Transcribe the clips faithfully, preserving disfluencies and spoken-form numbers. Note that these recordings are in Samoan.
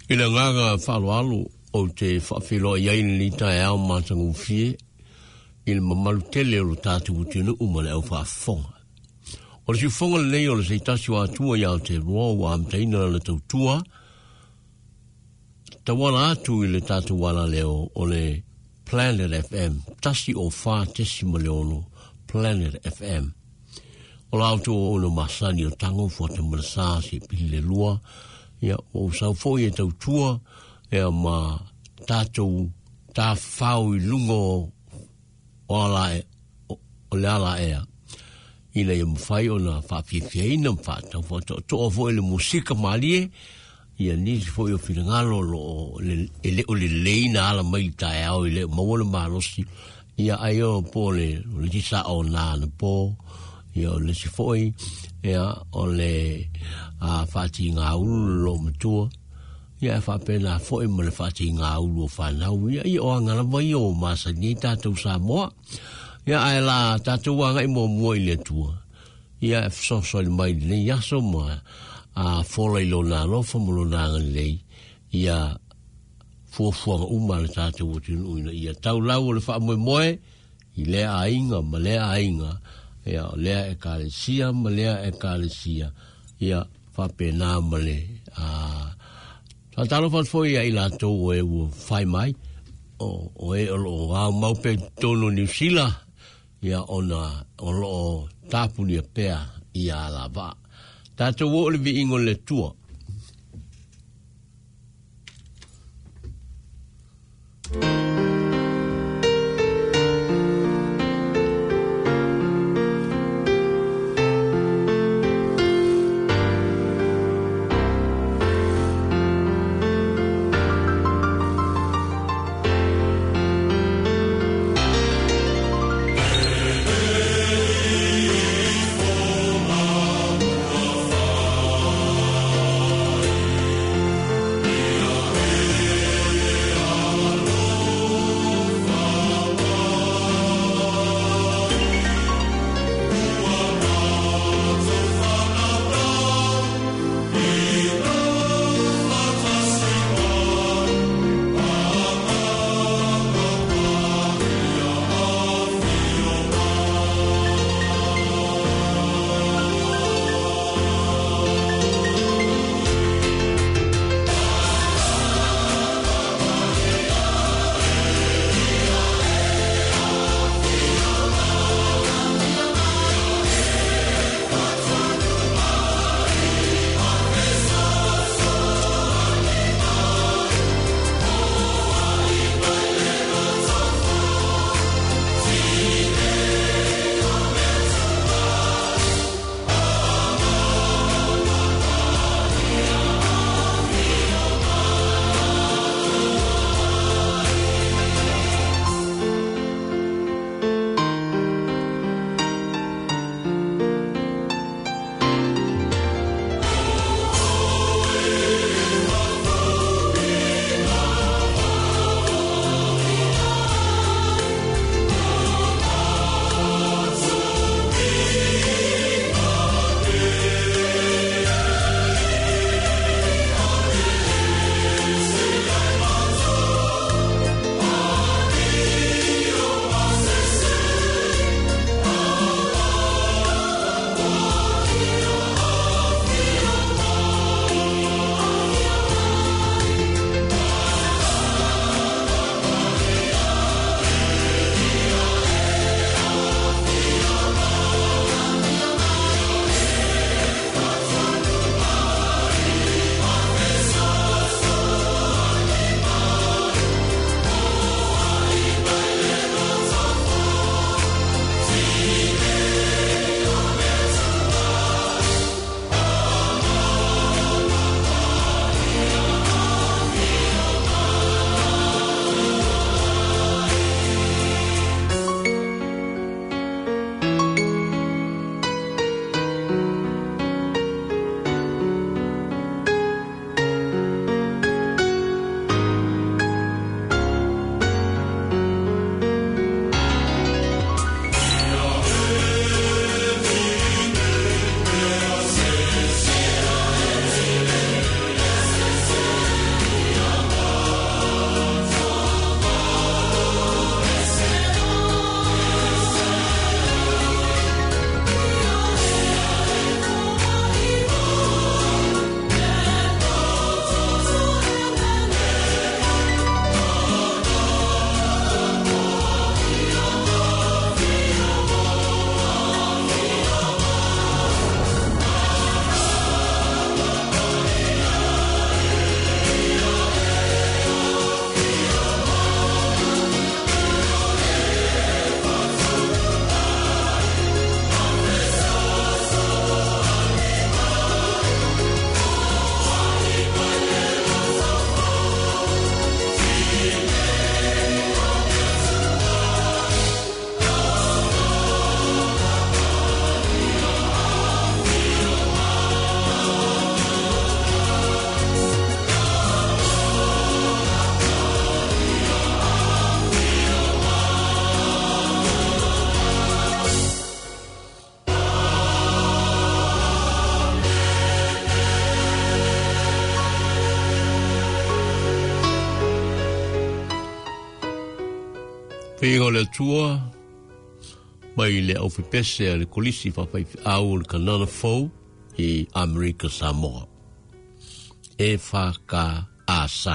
I le agaga faaaloalo ou te faafeiloai ai lenei taeao matagofie i le mamalu tele o lo tatou atunuu ma le aufaafofoga. O le siufoga lenei o le seitasi o Atua ia Aotearoa ua amataina lana tautua tauala atu i le tatou alaleo o le Planet F M, tasi o fa tesima le ono Planet F M. O la auto o ono masani o tango fuata malasa se pili le lua, ia o sau foi e tautua, ia ma tātou tāwhau i lunga o, o ala e, o, o le ala ea. Ina ia mawhai o na whaafiafiaina ma whaatau whaatoatoa foi le musika malie, ia nisi foi o whirangalo lo o le, e le o le leina ala mai tae au i le maua le malosi, ia ai o po le, o le tisa o nā na po, ia o le si foi, ia o le a whaati ngā ulu lo matua, ia e whaapena foi ma le whaati ngā ulu o whanau, ia ia o angalawa ia o masani tātou Samoa, ia ai la tātou anga i mua mua i le atua, ia e whasosoli mai lenei aso ma a fola i lona alofa ma lona agalelei, ia fuafuaga uma le tātou atunuu ina ia taulau o le faamoemoe i lea aiga ma lea aiga, ia o lea ekalesia ma lea ekalesia, ia faapena ma le a faatalofa atu foi ia i latou o e ua fai mai o, o e o loo aumau pea i totonu o Niu Sila, ia ona o loo tapunia pea ia alavaa. Tātou o le viiga o le Atua. Oh, Pega o le Atua mai le aufepese a le kolisi faafaifeau o le Kanana Fou i Amerika Samoa. E F K A S.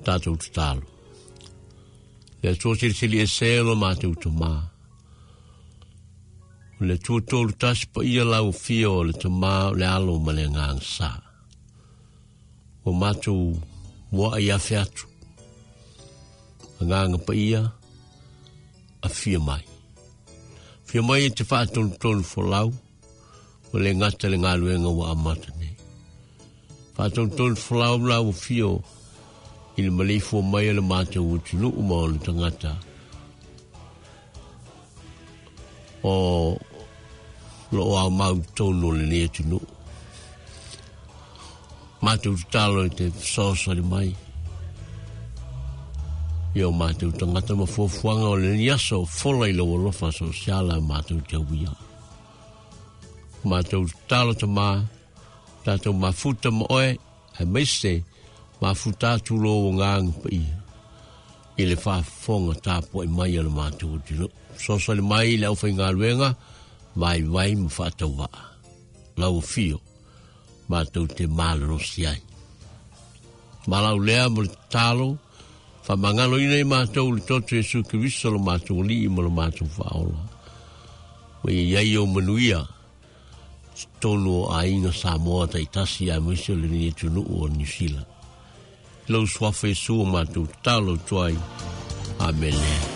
Tātou tatalo. Le Atua silisili e se lo mātou tamā. O le Atua tolu tasi pa ia lau fia o le tamā o le alo ma le nganga sa. O mātou mua ai afe atu. Nganga pa ia a fia mai. Fia mai e te whaatonutonu folau o le ngata le ngaluenga wa amata nei. Whaatonutonu folau lau fia o i le maleifua mai a le mātou utunuu ma o le tangata. O lo au mau tonu o le nei atunuu. Mātou tatalo i te fesoasoani mai. Ia o mātou tangata ma fuafuaga o le ni aso fola i lau alofa sosiala mātou te uia. Mātou tatalo tamā, tātou mafuta ma oe, ai maise, mafuta atu lo o ngānga pa ia. I le whaafonga tāpua i mai a le mātou atunuu. Fesoasoani mai i le aufaigaluega, vai vai ma whaatauaa. Lau fio, mātou te malolosi ai. Malau lea mo le tatalo, whamangalo ina i mātou le toto Iesu Keriso lo mātou lii ma lo mātou whaola. Ma ia iai o manuia, tonu o aiga Samoa taitasi a maise o le ni atunuu o Niu Sila. Lau suafa Iesu o mātou tatalo tuai. Amene. Yeah.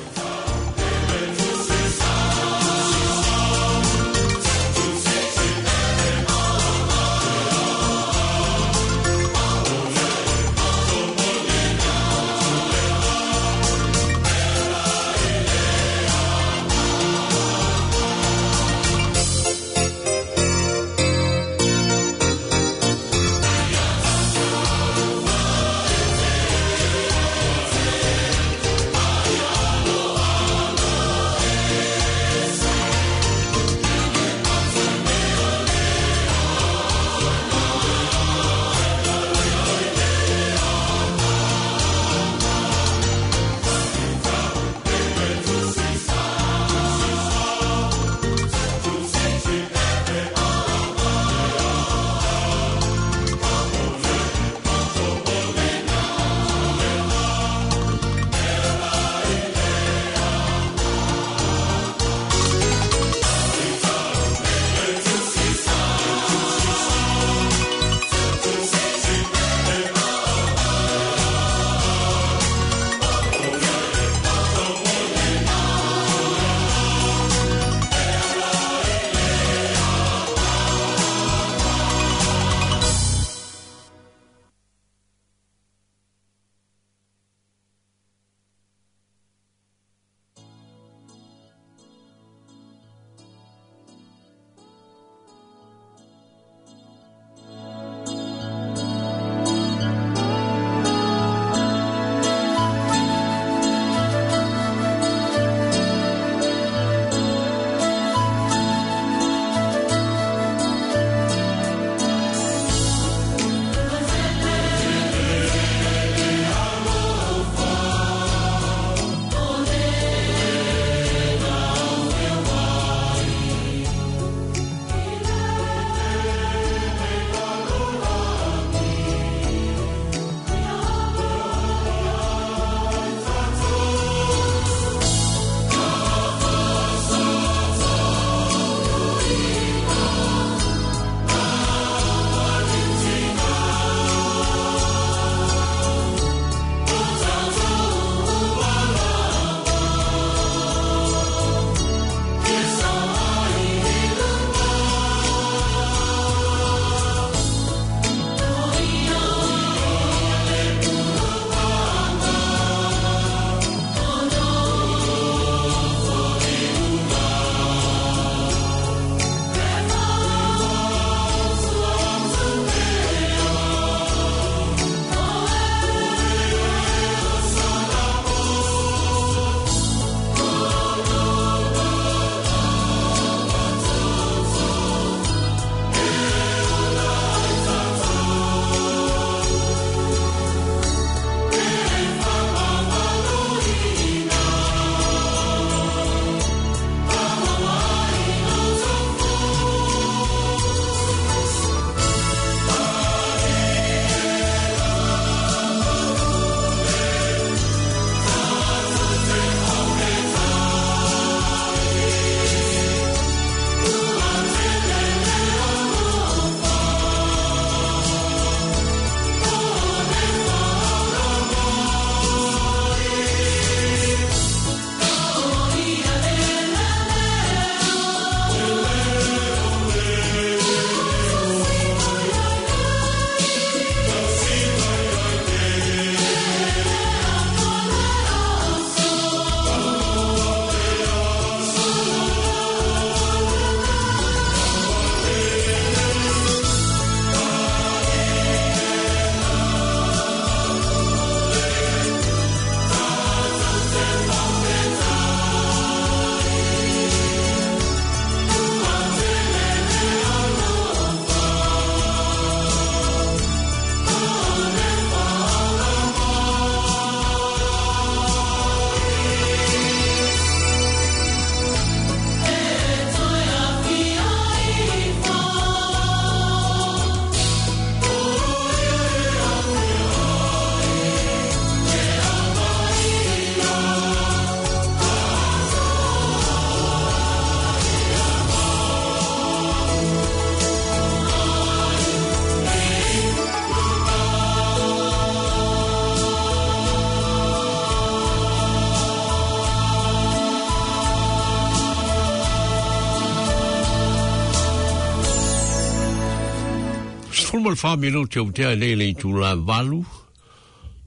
Sefulu ma le fa minute o tea nei le itula valu.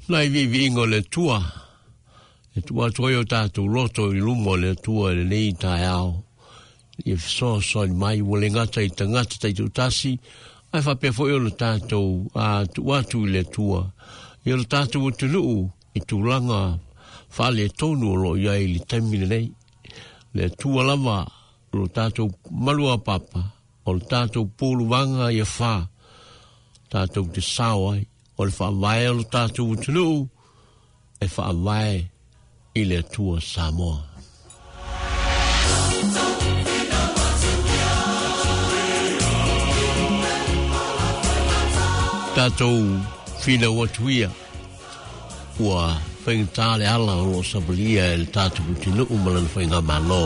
Nai viiviiga o le Atua e tuu atu ai o tatou loto i luma o le Atua i lenei taeao ia fesoasoani mai ua le gata i tagata taitoatasi ae faapea foi ona tatou tuu atu i le Atua ia lo tatou atunuu i tulaga faaletonu o loo i ai i le taimi lenei. Le Atua lava o lo tatou maluapapa o le tatou puluvaga ia fa tatou te sao ai o le faavae o lo tatou atunuu e faavae i le Atua Samoa. Tatou finau atu ia ua faigata le ala o loo savalia e le tatou atunuu ma lana faigamalo.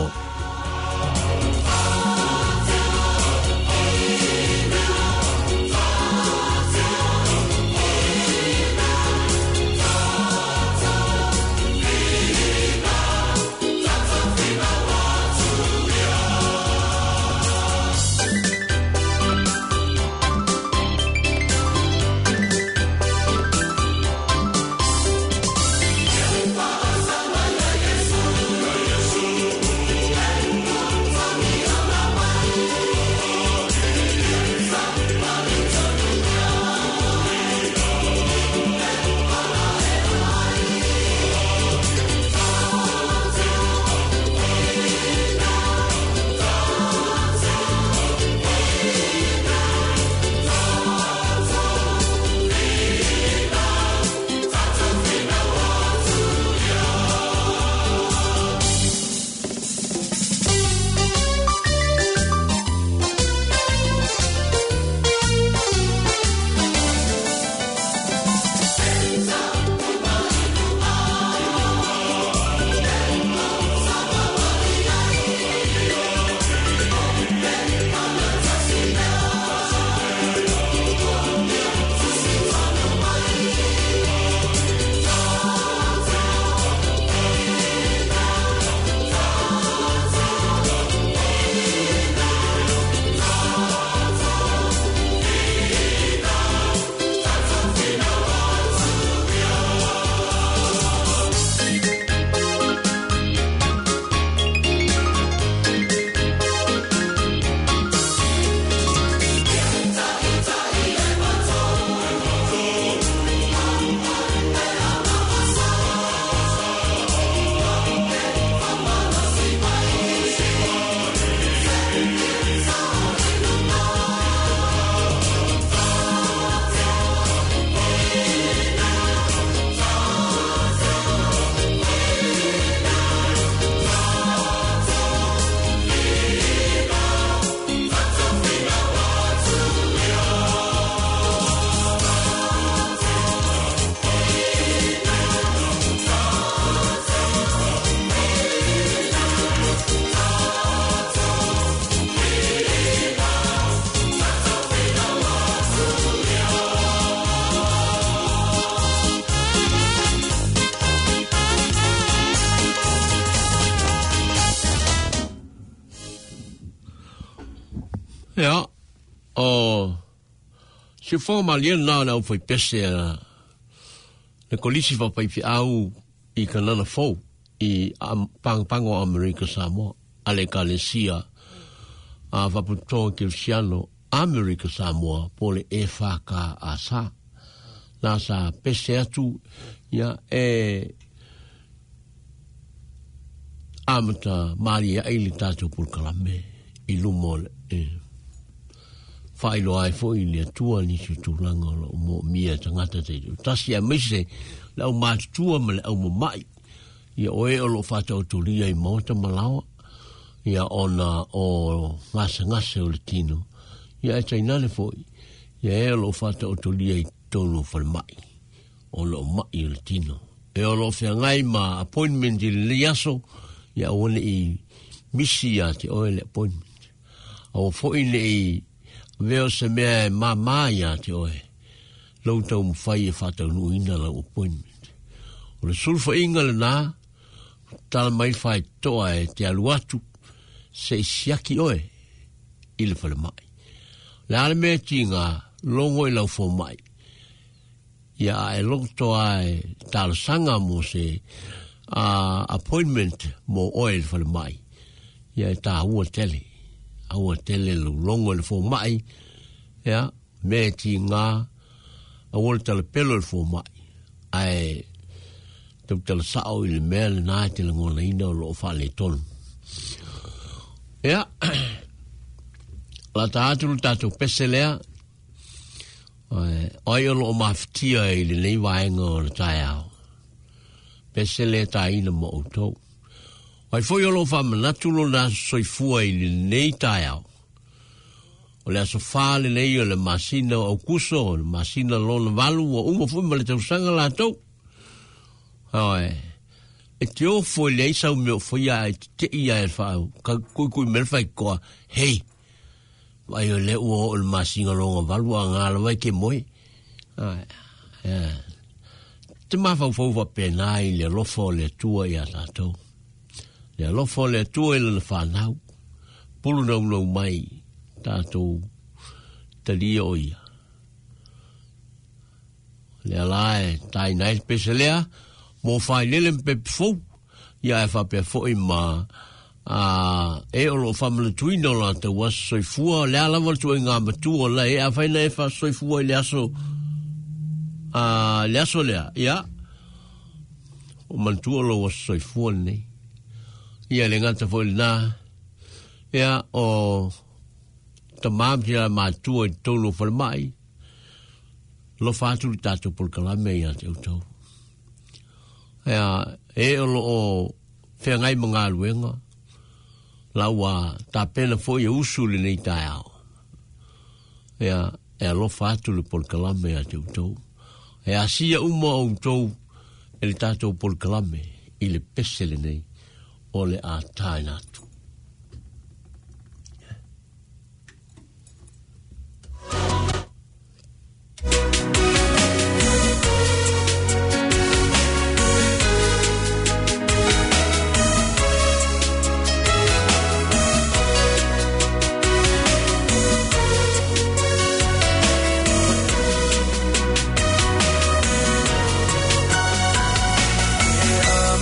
Ia, o se fo malie na na o foi pese a le kolisi fa pai fi au i kanana fou i pango o Amerika Samoa a le kalesia a faputoa kerisiano Amerika Samoa po le E F K A S na sa pese atu ia e amata maria ai le tatou polokalame i luma o le e whailoa ai foi le Atua nisi o tulaga o loo moomia e tagata taitoatasi aemaise le aumatutua ma le aumama'i ia oe o loo faataotolia i maota ma laoa ia ona o gasegase o le tino ia e tainane foi ia e o loo faataotolia i totonu o falemai o loo ma'i o le tino e o loo feagai ma appointment i lenei aso ia aua ne'i misi ia te oe le appointment aua foi ne'i veo se mea e māmā ia te oe lau taumafai e faataunuuina lau appointment. O le sulufaiga lenā tala mai le faitotoa e te alu atu se i siaki oe i le falemai. Le a le mea tiga Logo i lau fomai. Ia a e logo toa e talasanga mo se uh, appointment mo oe le falemai. Ia e tā ua tele. Aua tele lo longo le fomai. Ia, me ti ngā aua le talepelo le fomai. Ae tau tala sao i le mea le nā te langona ina o loo whaale tonu. Ia, la tā atu le tātou pese lea, ai o loo mawhitia i le nei vaenga o le taeao. Pese lea tā ina mo outou. Ai foi o loo whamanatu lo nā soifua i le nei taeao. O le aso wha le nei o le masina o kuso, o le masina lona valu, o uma fui ma le tausanga lātou. Ae, e te ofo i le aisa o meo whaia e te ia e whaau, ka kui kui mele whai koa, hei, vai o le ua o le masina longa valu a ngā lawai ke moe. Ae, te mawhau whau wapena i le alofa o le atua i a tātou. Le alofa o le atua i lana whanau, pulu nau nau mai, tātou talia o ia. Le ala e tai nai pese lea, mo whai lele mpe fou, ia e whapea foi ma a, e o lo whamana tuina o la tau aso soifua, le ala wala tua i ngā matua la e a whaina e wha soifua i le aso, a, le aso lea, ia, o mantua lo aso soifua nei. Ia le ngata foi le nā, ia o tamam te la mātua i tōnu o whalemai, lo whātu le tātou polokalame ia te utau. Ia, e o lo o whengai mga luenga, la ua tāpena foi e usu le nei taeao. Ia, e alofa atu le polokalame ia te utau. E asia uma o utau e le tātou polokalame i le pese le nei o le a tāina atu.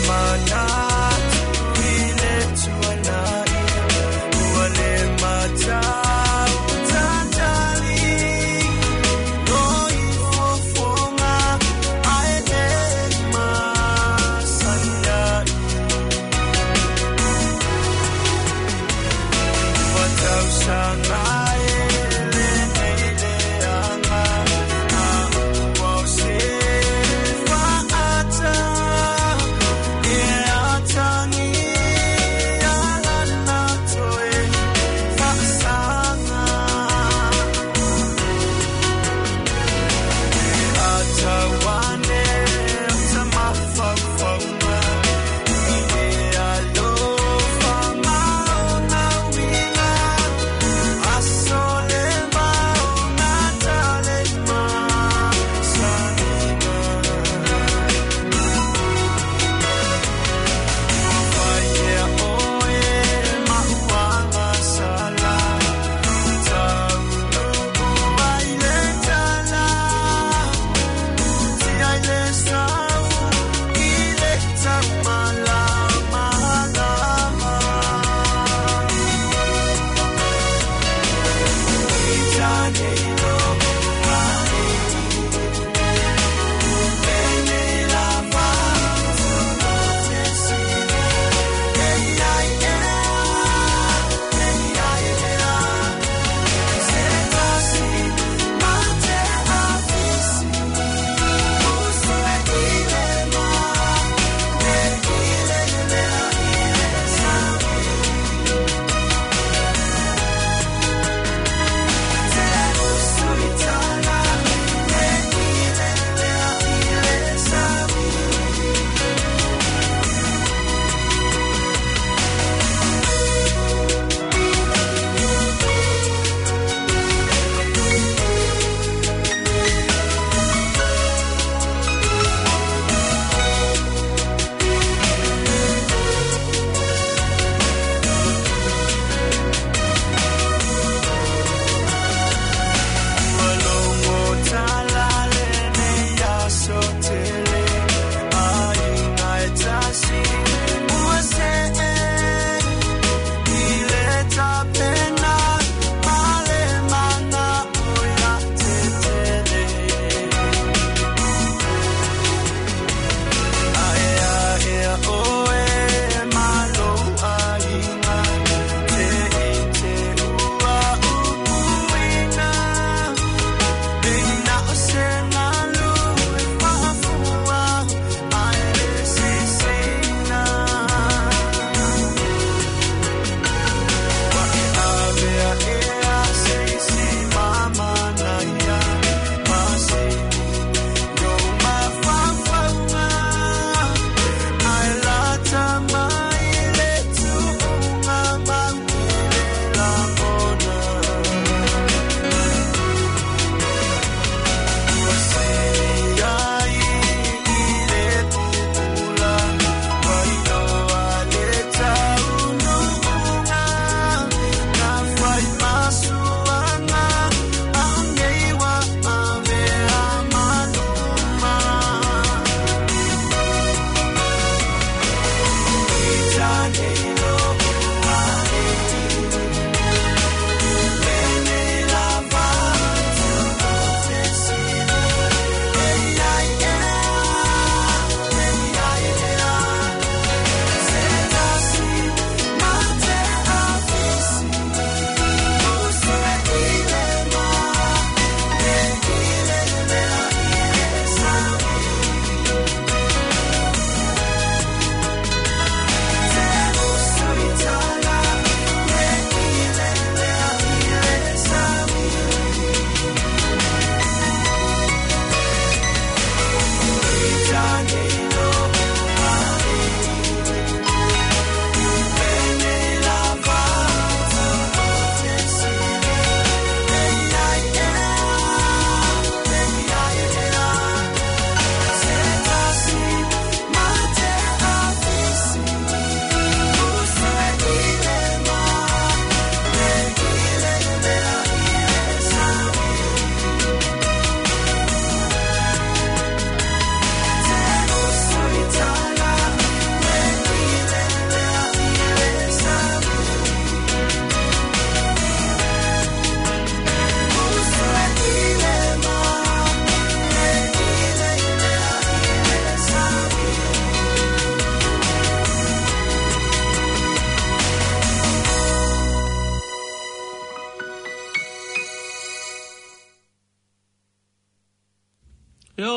Manatu i le tuana.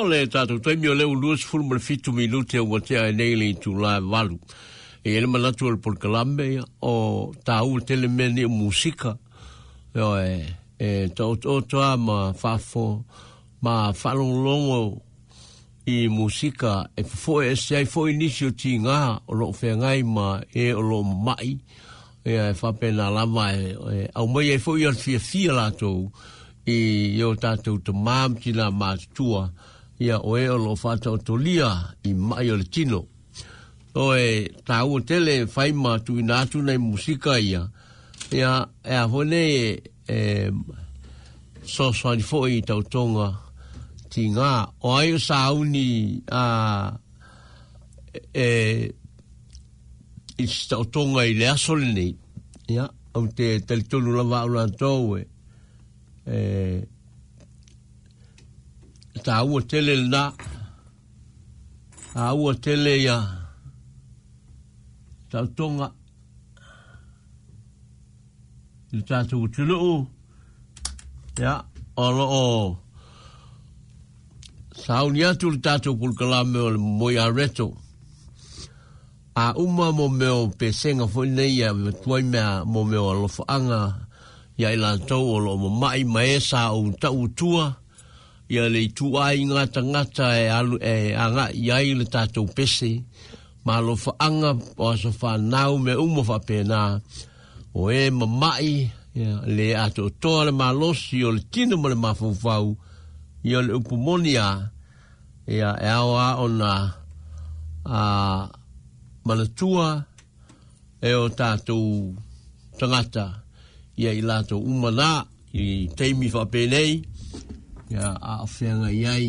le tātou taimi o leu lua sefulu ma le fitu minute ua tea ai nei le itulā e valu. E i ai le manatu o le polokalame ia, o tāua tele mea nei o musika. Ioe, e taotooto lava ma faafo ma faalogologo i musika e fofoe ese ai foi nisi o tigā o loo feagai ma e o loo mama'i. Ia e faapena lava e, e aumai ai foi o le fiafia latou i o tātou tamā ma tinā matutua, ia o e o loo faataotolia i ma'i o le tino. O e tāua tele fai ma tuuina atu nai musika ia, ia e a foi nei e, e fesoasoani foi i taotoga tigā. O ai o sauni a e i se taotoga i le aso lenei, ia, ou te talitonu lava au latou e e tāua tele lenā, tāua tele ia taotoga i le tatou atunuu, ia, o loo sauni atu le tatou polokalame o le Momoe Areto. A uma mo mea o pesega foi nei ia avatu ai mea mo mea o alofaaga ia i latou o loo mama'i ma e sa ou ta'u atua ia le ituaiga tagata e alu e aga'i i ai le tatou pese ma alofaaga o aso fanau mea uma faapena o e mama'i ia le atoatoa le malosi o le tino ma le mafaufau ia o le upu moni a ia e ao lava ona a manatua e o tatou tagata ia i latou uma nā i taimi faapenei ia a o feagai ai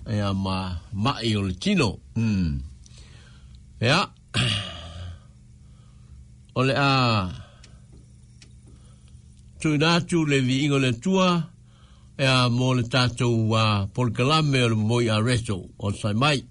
ia ma ma'i o le tino. Mm. Ia o le a tuuina atu le viiga o le Atua ia mo le tatou uh, polokalame o le Momoe Areto o sai mai.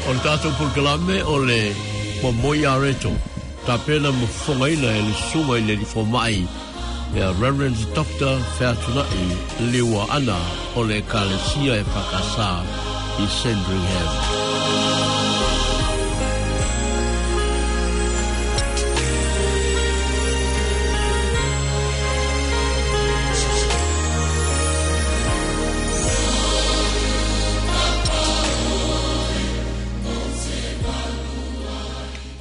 O le tatou polokalame o le Momoe Areto, tapena ma fofogaina e le susuga i le alii fomai ia Reverend Doctor Featunai Liuaana o le Ekalesia e Fakasā i Sandringham.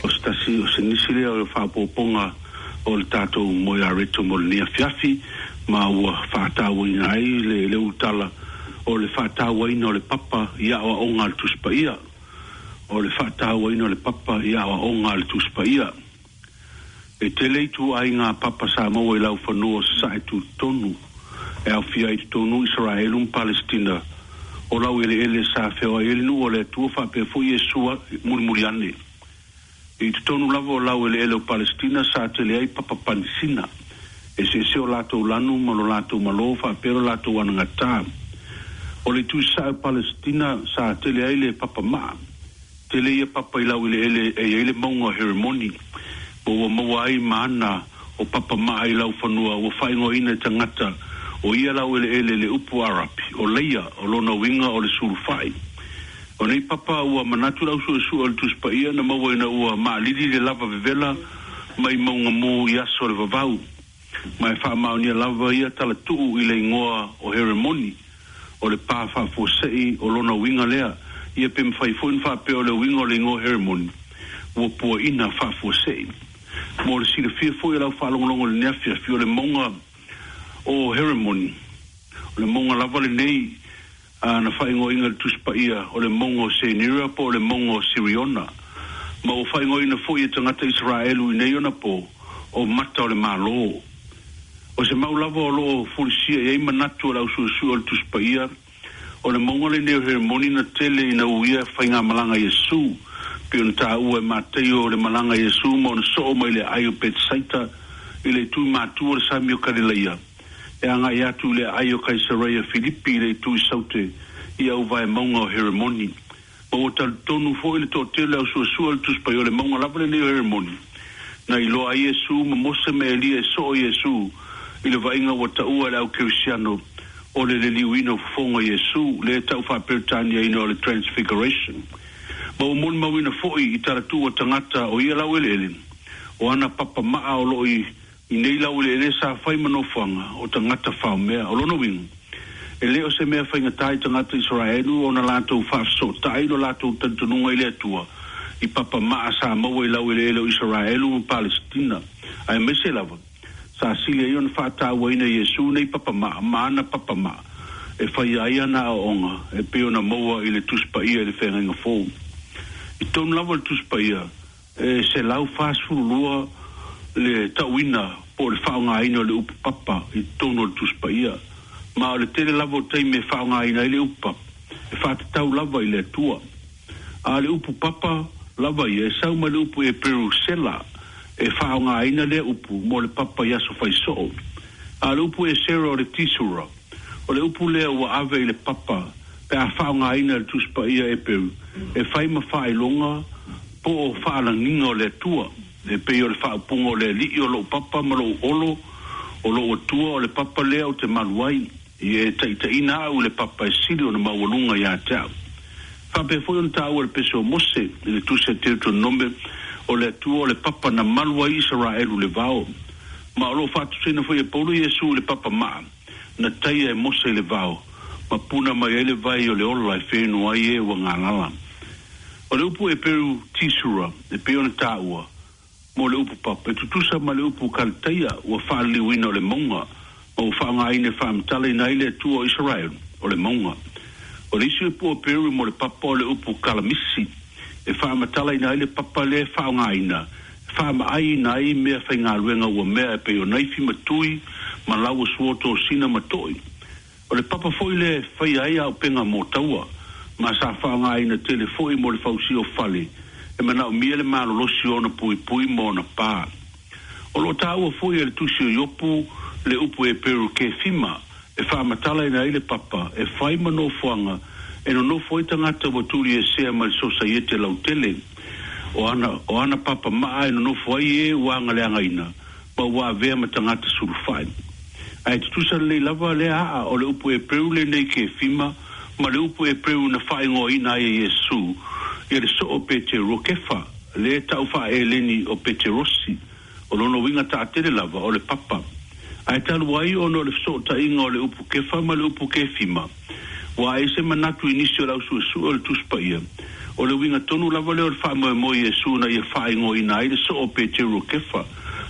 O se tasi o se nisi lea o le faaopoopoga o le tatou Momoe Areto mo lenei afiafi ma ua faatauaina ai le le ulutala o le faatauaina o le papa i aoaoga a le Tusi Paia. O le faatauaina o le papa i aoaoga a le Tusi Paia. E tele ituaiga papa sa maua i laufanua o sasae tutotonu e aofia ai totonu Isaraelu ma Palestina o laueleele sa feoai ai le nuu o le Atua faapea foi Iesu mulimuli ane. I totonu lava o laueleele o Palesitina sa tele ai papa panisina e eseese o latou lanu ma lo latou malo faapea lo latou anagatā. O le itu i sasae o Palesitina sa tele ai le papa maa. Tele ia papa i laueleele e i ai le mauga o Heremoni, ma ua maua ai ma ana o papa maa i laufanua ua faaigoaina e tagata o ia laueleele le upu Arapi o Leia, o lona uiga o le sulufai. O nei papa ua manatu le ausuesue o le Tusi Paia na maua ina ua maalili le lava vevela mai mauga mu i aso o le vavau, ma e faamaonia lava ia talatuu i le igoa o Heremoni, o le pa faafuasei o lona uiga lea. Ia pe mafai foi ona faapea o le uiga o le igoa Heremoni ua puaina faafuasei. Mo le silafia foi e lau faalogologo i lenei afiafi, o le mauga o Heremoni, o le mauga lava lenei na faaigoaina i le Tusi Paia o le mauga o Senira po o le mauga o Siriona, ma ua faaigoaina foi e tagata Isaraelu i nei ona po o mata o le Malo. O se mau lava o loo fulisia i ai manatu o le ausuesue o le Tusi Paia, o le mauga lenei o Heremoni na tele ina uia faigamalaga Iesu, pei ona taua e Mataio le malaga Iesu ma ona soo mai le aai o Petesaita i le itu i matu o le sami o Kalilaia e agai atu i le aai o Kaisareia Filipi i le itu i Saute i auvae mauga o Heremoni. Ma ua talitonu foi le toatele ausuesue o le Tusi Paia o le mauga lava lenei o Heremoni na iloa ai Iesu ma Mose ma Elia e soo Iesu i le vaaiga ua taua e le au Kerisiano o le liliuina o fofoga o Iesu, lea e tau faaperetaniaina o le Transfiguration. Ma ua molimauina foi i talatuu a tagata o ia laueleele o ana papa maa o loo i nei laueleele sa fai ma nofoaga o tagata faomea. O lona uiga, e le o se mea faigata i tagata Isaraelu ona latou faafesootai lo latou talitonuga i le Atua i papa maa sa maua i laueleele o Isaraelu ma Palesitina, aemaise lava sa sili ai ona faatauaina Iesu nei papa maa ma ana papa maa e faia ai ana aoaoga e pei ona maua i le Tusi Paia i le Feagaiga Fou. I totonu lava o le Tusi Paia e selau fasefulu lua le tauina po o le faaaogaina o le upu papa i totonu o le Tusi Paia, ma o le tele lava o taimi e faaaogaina ai le upu papa e faatatau lava i le Atua. A o le upu papa lava ia e sau mai le upu Eperu sela, e faaaogaina lea upu mo le papa i aso faisoo. A o le upu esera o le tisura, o le upu lea ua ave i le papa pe a faaaogaina e le Tusi Paia Eperu e fai ma faailoga po o faalagiga o le Atua, e pei o le faaupuga o le Alii o lou papa ma lou olo, o lou Atua o le papa lea ou te malu ai, ia e taitaiina au i le papa e sili ona maualuga ia te au. Faapea foi ona taua e le pese o Mose i le tusi a Deuteronome, o le Atua o le papa na malu ai Isaraelu i le vao. Ma o lo o faatusaina foi e Paulo Iesu i le papa maa na taia e Mose i le vao, ma puna mai ai le vai o le ola e feno ai e ua galala. O le upu Eperu tisura e pei ona taua mo le upu papa e tutusa ma le upu Kalataia ua faaliliuina o le mauga, ma ua faaaogaina e faamatalaina ai le Atua o Isaraelu o le mauga. O le isi upu Eperu mo le papa o le upu kalamisi e faamatalaina ai le papa lea e faaaogaina e faamaaiina ai mea faigaluega ua mea e pei o naifi ma tui ma laua sua tosina ma toi. O le papa foi lea e faia ai auupega mo taua, ma sa faaaogaina tele foi mo le fausia o fale e manaomia le malolosi o ona puipui ma ona pa. O lo o taua foi e le tusi o Iopu le upu Eperu kefima e faamatalaina ai le papa e fai ma nofoaga e nonofo ai tagata ua tuliesea mai le sosaiete lautele. O ana, o ana papa maa e nonofo ai e ua agaleagaina ma ua avea ma tagata sulufai. Ae tutusa lelei lava lea aa o le upu Eperu lenei kefima ma le upu Eperu na faaigoaina ai e Iesu ia le soo o Peteru o Kefa, lea e tau faa-Eleni o Peterosi, o lona uiga taatele lava o le papa. Ae talu ai ona o le fesootaiga o le upu Kefa ma le upu Kefima, ua ae se manatu i nisi o le ausuesue o le Tusi Paia, o le uiga tonu lava lea o le faamoemoe i Iesu na ia faaigoaina ai le soo o Peteru o Kefa,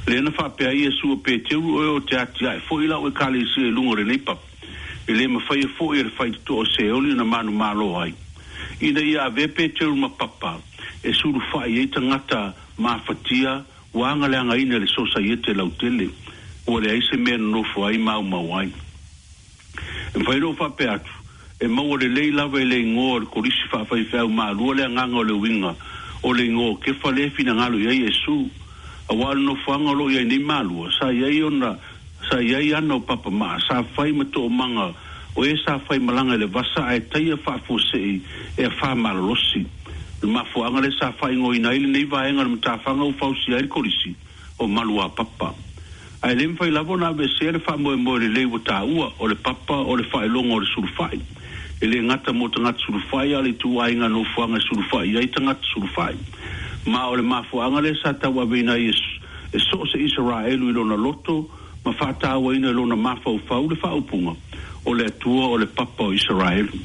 lea na faapea ai Iesu o Peteru, Oe ou te atiae foi lau ekalesia i luga o lenei papa, e le mafaia foi e le faitotoa o Seoli ona manumalo ai. Ina ia avea Peteru ma papa e sulufai ai tagata mafatia ua agaleagaina i le sosaiete lautele, ua leai se mea nonofo ai ma aumau ai. E mafai ona ou faapea atu, e maua lelei lava e le igoa o le kolisi faafaifeau malua le agaga o le uiga O le igoa o Kefa lea e finagalo i ai Iesu. Auā o le nofoaga o loo i ai nei malua, sa i ai ona sa i ai ana o papamaa, sa fai ma toomaga o e sa faimalaga i le vasa ae taia faafuasei e afā malolosi. O le mafuaaga lea sa faaigoaina ai lenei vaega o le matafaga ua fausia ai le kolisi o Maluapapa. Ae le mafai lava ona aveesea le faamoemoe lelei ua taua, o le papa o le faailoga o le sulufai. E le gata mo tagata sulufai, a o le ituaiga nofoaga e sulufai i ai tagata sulufai. Ma o le mafuaaga lea sa tauaveina ai e so o se Isaraelu i lona loto ma faatauaina i lona mafaufau le faaupuga, O le Atua o le Papa o Isaraelu.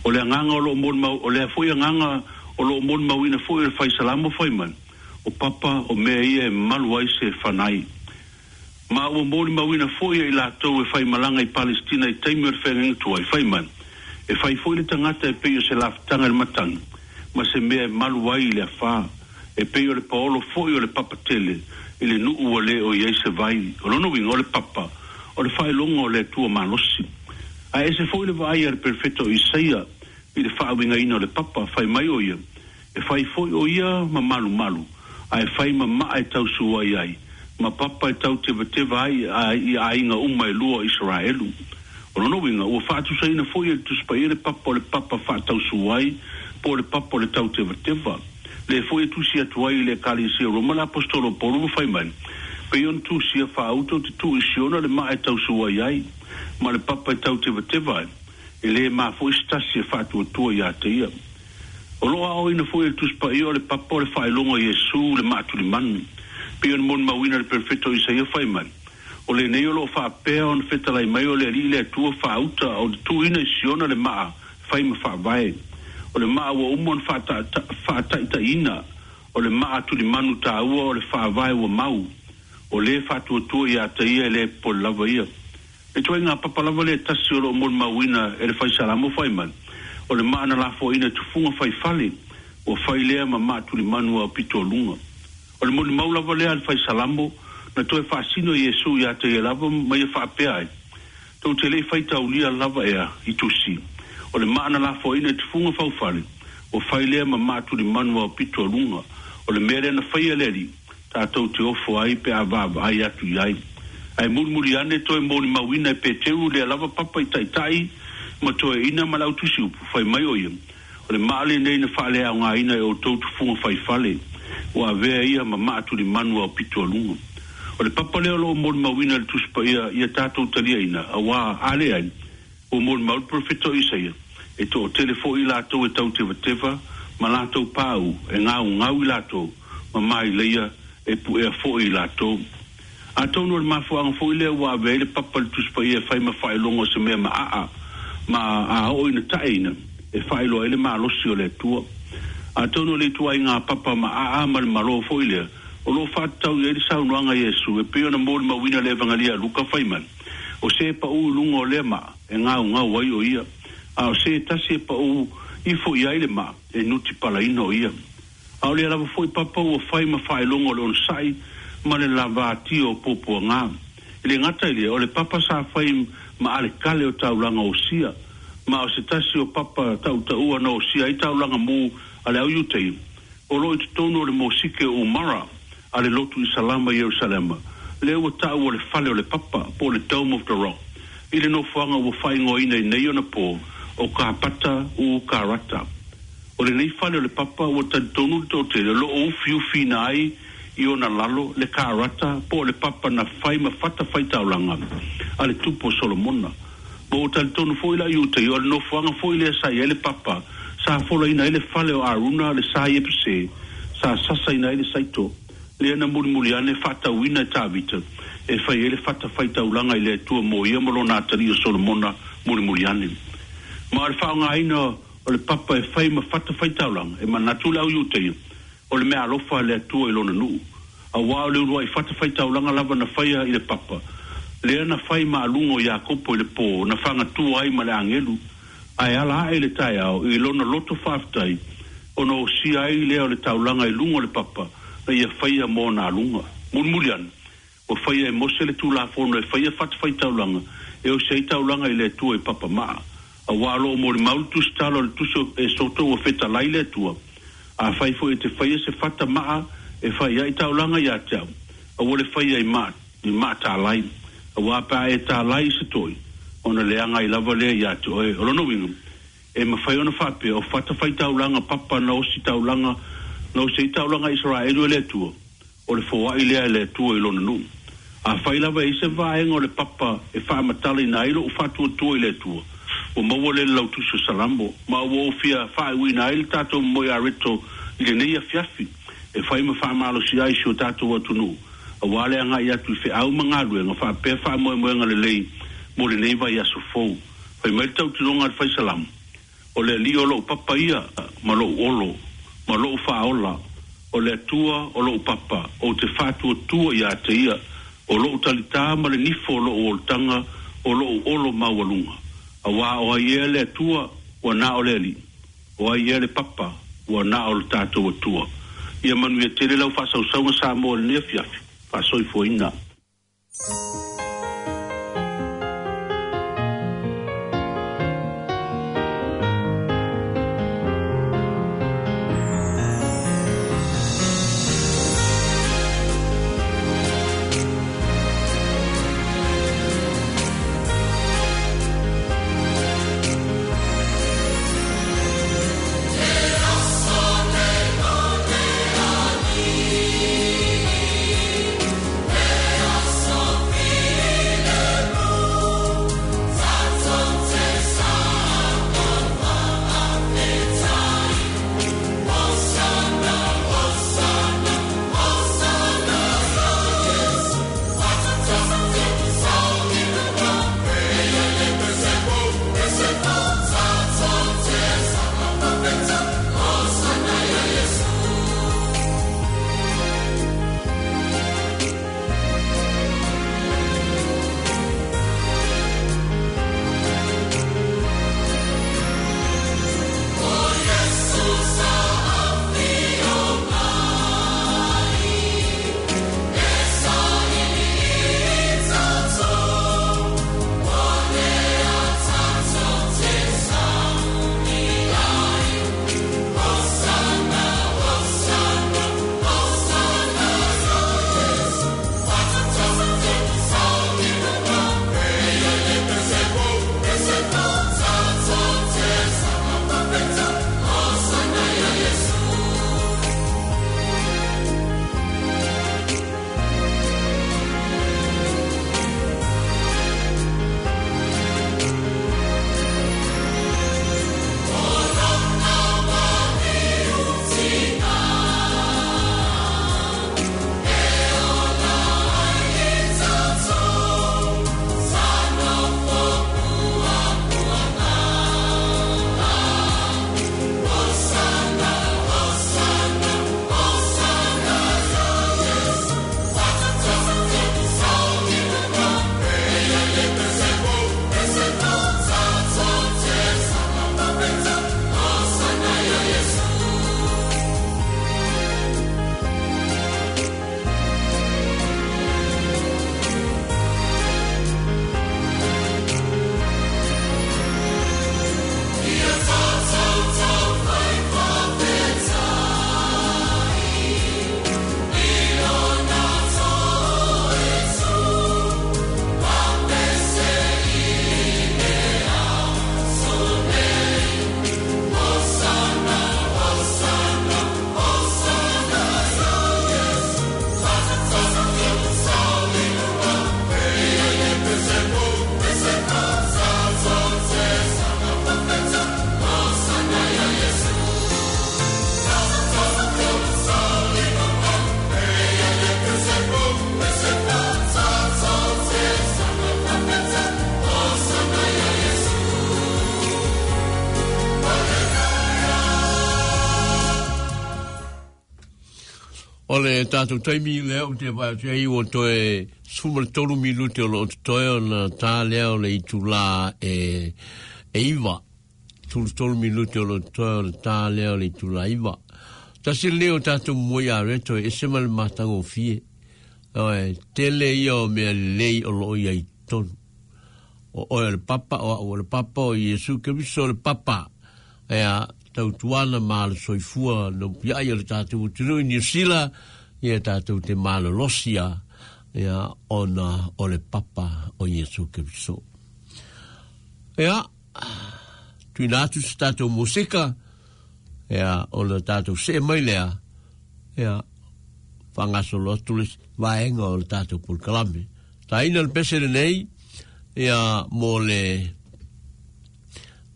O le agaga o loo molimau, o lea foi agaga o loo molimauina foi e le Fai Salamo fai mai, O papa o mea ia e malu ai se fanai. Ma ua molimauina foi e i latou e faimalaga i Palesitina i taimi o le feagaiga tuai, fai mai, E fai foi le tagata e pei o se lafutaga i le matagi, ma se mea e malu ai i le afā, e pei o le paolo foi o le papa tele i le nuu ua le o i ai se vai. O lona uiga, o le papa, o le faailoga o le Atua malosi. Ae ese foi le vaai a le perofeta o Isaia i le faauigaina o le papa, fai mai o ia, E fai foi o ia ma malumalu, ae fai ma maa e tausu ai ai, ma papa e tautevateva ai i aiga uma e lua o Isaraelu. O lona uiga, ua faatusaina foi e le Tusi Paia le papa o le papa faatausu ai, po o le papa o le tautevateva. Lea foi e tusi atu ai i le Ekalesia o Roma le Aposetolo o Paulo ma fai mai, Pei ona tusia faauta ou te tuu i Siona le maa e tausu ai ai, ma le papa e tautevateva ai, e lē mafo'i se tasi e faatuatua iā te ia. O loo aoaoina foi e le Tusi Paia o le papa o le faailoga o Iesu le maatulimanu. Pei ona molimauina e le perofeta o Isaia fai mai, O lenei o loo faapea ona fetalai mai o le Alii le Atua faauta o le tuuina i Siona le maa fai ma faavae. O le maa ua uma ona faataitaiina, o le maa tulimanu taua o le faavae ua mau. O lē faatuatua iā te ia e lē popole lava ia. Le ituaiga papa lava lea e tasi o loo molimauina e le Fai Salamo fai mai, O le maa na lafoaina i tufuga fai fale, ua fai lea ma maa tulimanu aopito o luga. O le molimau lava lea a le Fai Salamo na toe faasino e Iesu iā te ia lava ma ia faapea ai, Tou te le i faitaulia lava ea i tusi, o le maa na lafoaina i tufuga faufale, ua fai lea ma maa tulimanu aopito o luga, o le mea lea na faia e le Alii, tatou te ofo ai pe a vaavaai atu i ai. Ae mulimuli ane toe molimauina e Peteru lea lava papa i taitai ma toeaiina ma le autusiupu, fai mai o ia, O le maa lenei na faaleaogaina e outou tufuga faifale, ua avea ia ma maa tulimanu aopito a luga. O le papa lea o loo molimauina e le Tusi Paia ia tatou taliaina, auā a leai, ua molimau le perofeta o Isaia, e toatele foi i latou e tautevateva ma latou paau e gaugau i latou, ma maileia e puea foi i latou. Atonu o le mafuaaga foi lea ua ave ai le papa i le Tusi Paia e fai ma faailoga o se mea maaa, ma a oo ina taeina, e faailoa ai le malosi o le Atua. Atonu o le ituaiga papa maaa ma le malo foi lea o loo faatatau i ai le saunoaga a Iesu e pei ona molimauina le Evangelia a Luka fai mai, O se e paū i luga o lea maa, e gaugau ai o ia, a o se e tasi e paū ifo i ai le maa, e nutipalaina o ia. A o lea lava foi papa ua fai ma faailoga o le onosai ma le lavatia o puapuaga. E le gata i lea, o le papa sa fai ma alekale o taulaga osia, ma o se tasi o papa tautaua na osia ai taulaga mu a le au Iutaia, o loo i totonu o le mosike o Umara a le lotu Isalama i Ierusalema, lea ua taua o le fale o le papa, po o le Dome of the Rock, i le nofoaga ua faaigoaina i nei ona po o Kapata u Karata. O lenei fale o le papa ua talitonu le toatele o loo ufiufiina ai i ona lalo le karata po o le papa na fai ma fata faitaulaga a le tupu o Solomona. Ma ua talitonu foi la Iutaia o le nofoaga foi lea sa i ai le papa sa folaina ai le fale o Aruna le sa Iepuse sa sasaina ai le saito lea na mulimuli ane faatauina e Tavita e fai ai le fata faitaulaga i le Atua mo ia ma lona atalii o Solomona mulimuli ane. Ma o le faaaogaina o le papa e fai ma fata faitaulaga e manatu le au Iutaia o le meaalofa a le Atua i lona nuu, auā o le uluai fata faitaulaga lava na faia i le papa, lea na fai ma aluga o Iakopo i le pō na fagatua ai ma le agelu, ae ala ae i le taeao i lona loto faafetai ona osia ai lea o le taulaga i luga o le papa na ia faia mo ona aluga. Mulimuli ane, ua faia e Mose le Tulafono e faia fatafaitaulaga e osi ai taulaga i le Atua i papamaa, auā o loo molimau le tusitala o le Tusi o Esoto ua fetalai le Atua, Afai foi e te faia se fata maa e fai ai taulaga ia te au, aua le faia i maa i maa tālai, auā pe a e tālai i se toi, ona leaga ai lava lea ia te oe. O lona uiga, e mafai ona faapea o fata faitaulaga papa na osi taulaga na osi ai taulaga Isaraelu e le Atua, o le foai lea e le Atua i lona nuu. Afai lava e i se vaega o le papa e faamatalaina ai lou faatuatua i le Atua, ua maua lea i le lautusi o Salamo, ma ua ou fia faaiuina ai le tatou moe areto i lenei afiafi, e fai ma faamalosia ai si o tatou atunuu, auā le agai atu i feau ma galuega faapea faamoemoega lelei mo lenei vaiaso fou. Fai mai le tautinoga a le Faisalamo, o le Alii o lou papa ia ma lou olo ma lou faaola, o le Atua o lou papa, ou te faatuatua ia te ia, o lou talitā ma le nifo o lou olataga, o lou olo maualuga. Auā o ai ea le Atua, ua na o le Alii, o ai ea le papa, ua na o le tatou Atua. Ia manuia tele lau faasausauga Samoa i lenei afiafi, faasoifuaina. O le tātou taimi lea o te vai atu ai o toe sefulu ma le tolu minute o loo totoe ona tā lea o le itulā e e iva. Sefulu tolu minute o loo totoe ona tā lea o le itulā iva. Tasi lenei o tātou moe ia reto e ese ma le matagofie. Oe, tele ia o mea lelei o loo ia i tonu. O oe o le papa, o au o le papa, o Iesu Keriso o le papa. Ea, tautuana ma le soifua no piai o le tatou atunuu i Niu Sila, ia tatou te malolosia ia ona o le papa o Iesu Keriso. Ia, tuina atu se tatou musika, ia, ona tatou see mai lea, ia, faagasolo atu le vaega o le tatou polokalame. Taina le pese lenei, ia, mo le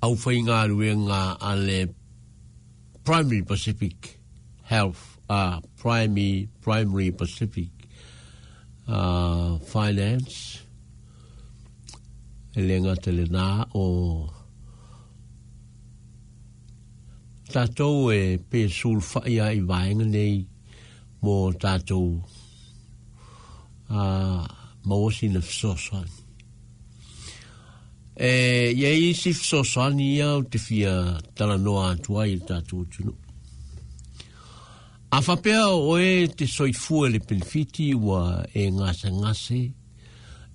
aufaigaluega a le Primary Pacific Health, uh, Primary, Primary Pacific uh, Finance, e le gata lenā o tatou e pe sulufai ai i vaega nei mo tatou uh, maua sina fesoasoani. E i ai isi fesoasoani ia ou te fia talanoa atu ai i le tatou atunuu. A faapea o oe te soifua i le penefiti ua e gasegase,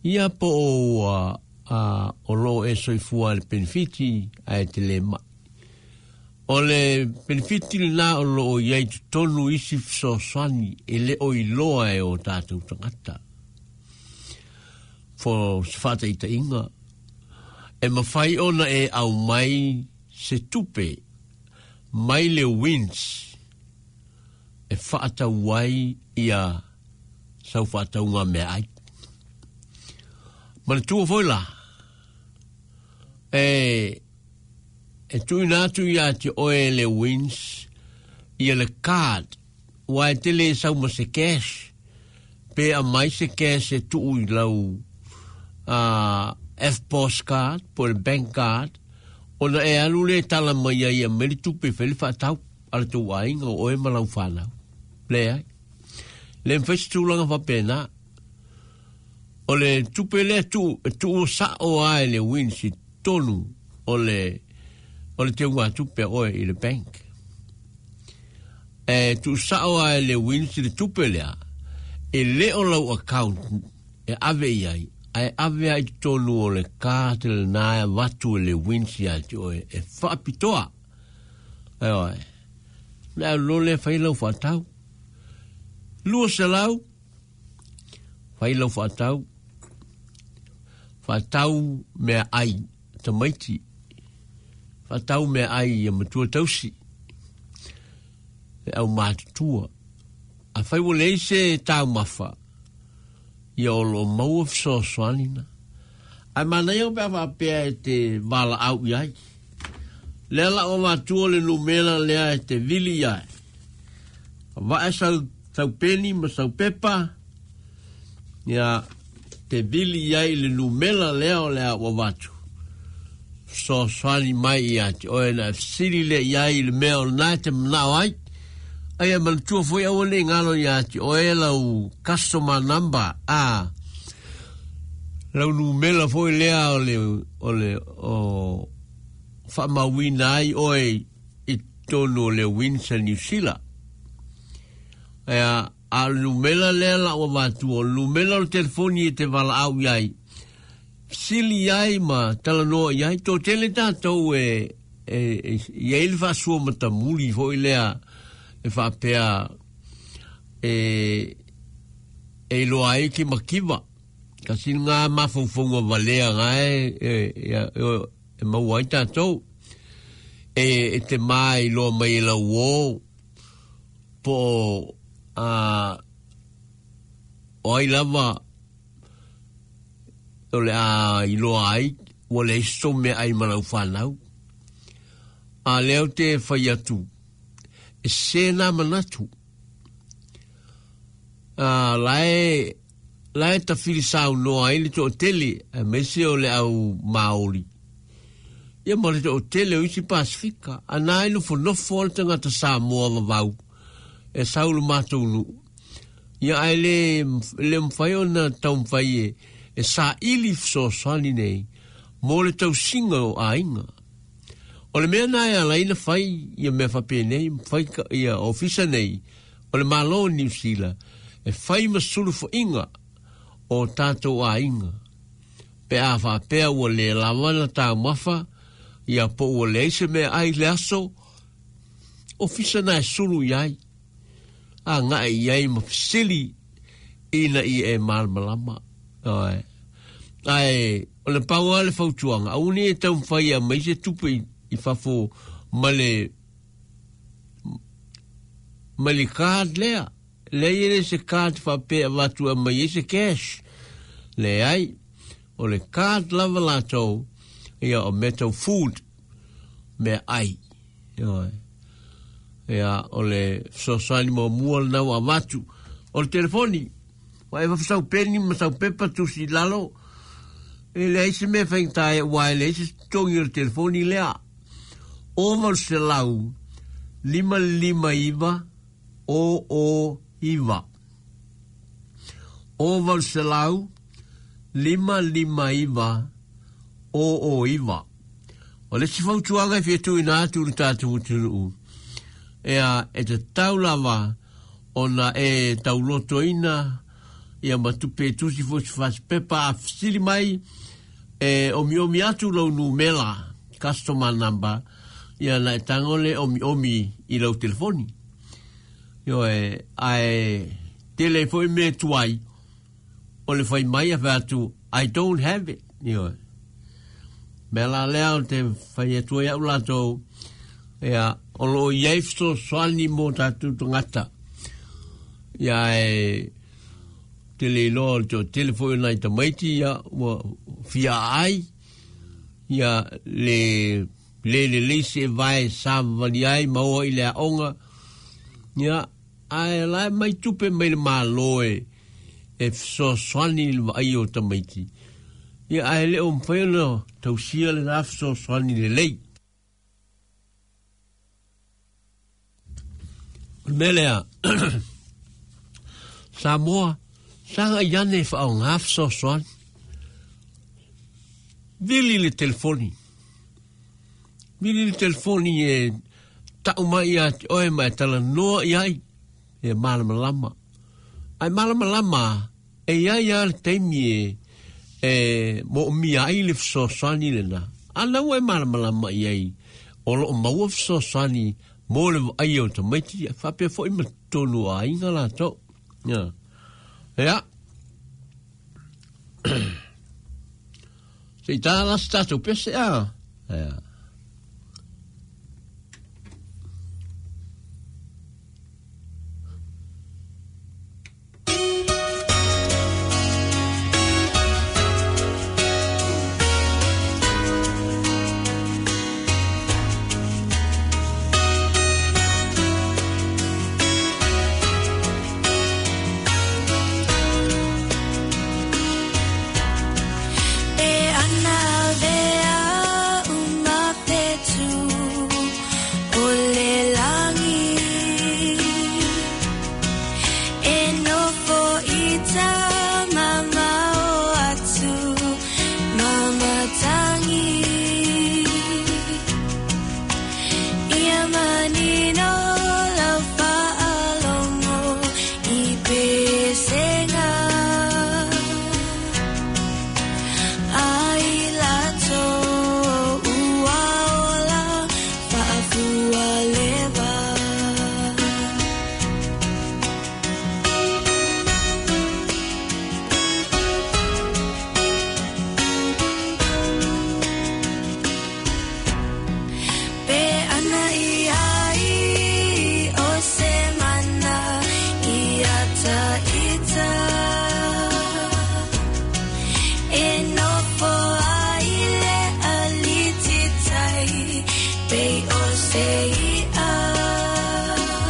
ia po o ua uh, o loo e soifua i le penefiti ae te le mai. O le penefiti lenā o loo i ai totonu isi fesoasoani e le o iloa e o tatou tagata. Fo se faataitaiga, e mafai ona e aumai se tupe mai le WINZ e faatau ai ia sau faatauga meaai. Manatua foi la, e e tuuina atu ia te oe le WINZ ia le card, ua e tele sau ma se cash, pe aumai se cash e tuu i lau uh, F P O S card, po le bank card, ona e alu le tala mai ai e aumai le tupe e fai le faatau a le tou aiga o oe ma lau fanau. Leai. Le mafai se tulaga faapena. O le tupe lea tuu, e tuu sao lava e le WINZ i totonu o le o le teugatupe a oe i le bank. E tuu sao lava e le WINZ le tupe lea, e le o lau account e ave i ai, ae ave ai i totonu o le card lenā e avatu e le WINZ ia te oe e faapitoa. Ioe. Le alu loa lea fai lau faatau. Lua selau, fai lau faatau, faatau meaai tamaiti, faatau meaai ia matua tausi, le aumatutua. Afai ua leai se taumafa, ia o loo maua fesoasoani na. Ae manaia pe a faapea e te valaau i ai. Lea la o avatua le numera lea e te vili i ai. Vae sau, sau peni ma sau pepa, ia te vili i ai le numera lea o le a ua avatu. Fesoasoani mai ia te oe na e fesili lea i ai i le mea o lenā e te manao ai. Ae manatua foi aua ne i galo ia te oe lau customer number, a lau numera foi lea o le, o le, o faamauina ai oe i totonu o le WINZ a Niu Sila. Ia, a o le numera lea la ua avatua, o le numera o le telefoni e te valaau i ai, fesili ai ma talanoa i ai, toatele tatou e, e, e i ai le faasua matamuli foi lea e faapea e, e iloa ai ke makiva. Kasi ngā mafaufauga valea ngā e, e, e, e, e maua ai tatou. E, e te mā iloa mai e lau uō, po o, a, o ai lava o le a iloa ai, ua leai se tou meaai ma lau fanau. A lea ou te fai atu, e sē nā manatu. A, la e, la e tafili saunoa ai le toatele, aemaise o le au Maori. Ia ma le toatele o isi Pasifika. A na e nofonofo lava le tagata Samoa vavau, e sau i le matou nuu. Ia ae le, le mafai ona taumafai e, e saili fesoasoani nei mo le tausiga o aiga. O le mea na e ala ai ona fai ia mea faapenei, fai ia ofisa nei, o le Malo o Niu Sila, e fai ma sulufa'iga o tatou aiga. Pe a faapea ua le lava na taumafa, ia po ua leai se meaai i le aso, Ofisa na e sulu iai. A ngai iai ma fesili ina i e malamalama. Ioe. Ae o le pau lava le fautuaga, aua nei e taumafai e aumai se tupe i, i fafo ma le ma le card lea. Leai e le se card faapea e avatu e aumai ai se cash. Leai, o le card lava latou, ia o mea tau food, mea ai. Ioe. Ia, o le fesoasoani muamua lena ua avatu. O le telefoni, ua e sau peni ma sau pepa tusi i lalo, e leai se mea faigata ai, aua e leai se totogi o le telefoni lea. O valu selau, lima lima iva, o o iva. O valu selau, lima lima iva, o o iva. O le isi fautuaga e fia tuuina atu i le tatou atunuu, ea e tatau lava ona e taulotoina ia ma tupe e tusi foi se fasipepa a fesili mai e omiomi atu lou numela, customer number, ia na e tago le omiomi i lau telefoni. Ioe, ae tele ai foi mea tuai o le fai mai a fai atu, I don't have it. Ioe. Mea la lea o te fai atu ai au latou, ia, o loo i ai fesoasoani mo tatou tagata. Ia e tele iloa o le toatele foi o nai tamaiti, ia, ua fia ai, ia, le le lelei se vae savavali ai ma oa i le aoga, ia, ae la e mai tupe mai le Malo e, e fesoasoani i le vaaia o tamaiti. Ia, ae le o mafai ona tausia lena fesoasoani lelei. O le mea lea, Samoa, saga i ane e faaaoga fesoasoani. Vili le telefoni. Vili le telefoni e tau mai ia te oe ma e talanoa i ai e malamalama. Ae malamalama e iai lava le taimi e, e moomia ai le fesoasoani lena. A na ua e malamalama i ai o loo maua fesoasoani mo le vaaia o tamaiti faapea foi ma totonu o aiga latou. Ia. Ia. Se i tā la se tatou pese a. Ia. E ana vea uma petu o le langi e nofo i ta mamao atu mamatangi ia manino lau faalogo i pesega ai latou ua ola faafua leva. Pe ana i ai o se mana ia ta ita e nofo ai le alititai pe o se ia.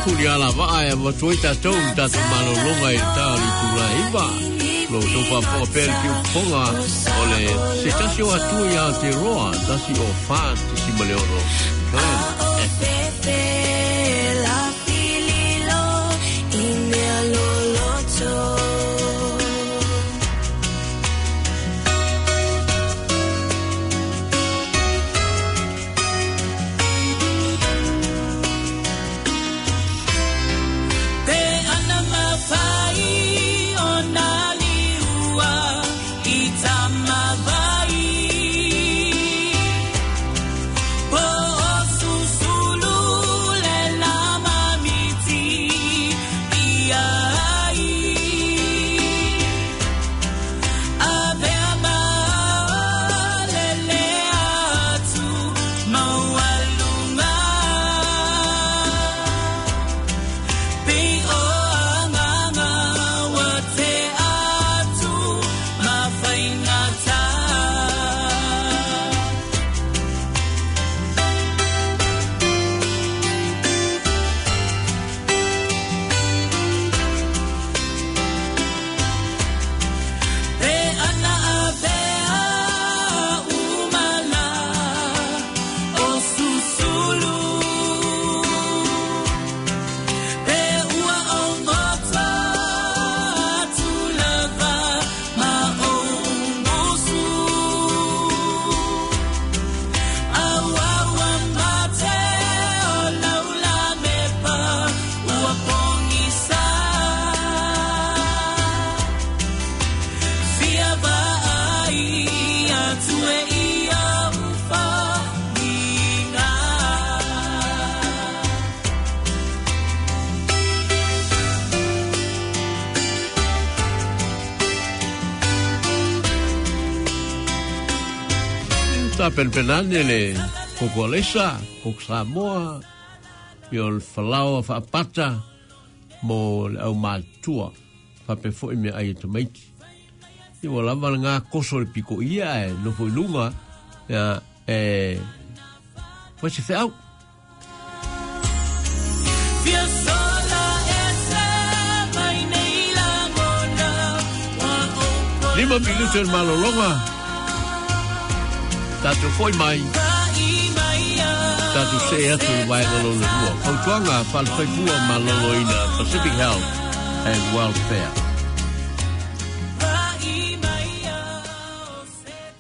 Huli ala vaa e avatu ai tatou i tatou malologa i le ta o le itula iva. Lo outou faafofoga pea le piufofoga o le se tasi o Atua ia Aotearoa, tasi o fa tesima le ono Plan A o F. fefe la fililo i mea loloto. Pe ana mawhai o nā liua i tamawai. Po o susu Sa penpenane le koko alesa, koko Samoa, ia o le falaoa faapata mo le aumatua, faapea foi meaai a tamaiti. Ia ua lava lagā koso le pikoia ae nofo i luga, ia e fai se feau. Lima minuto le malologa. Tatou foi mai. Tatou see atu le vaega lona lua. Fautuaga faale-soifua maloloina Pacific Health and Welfare.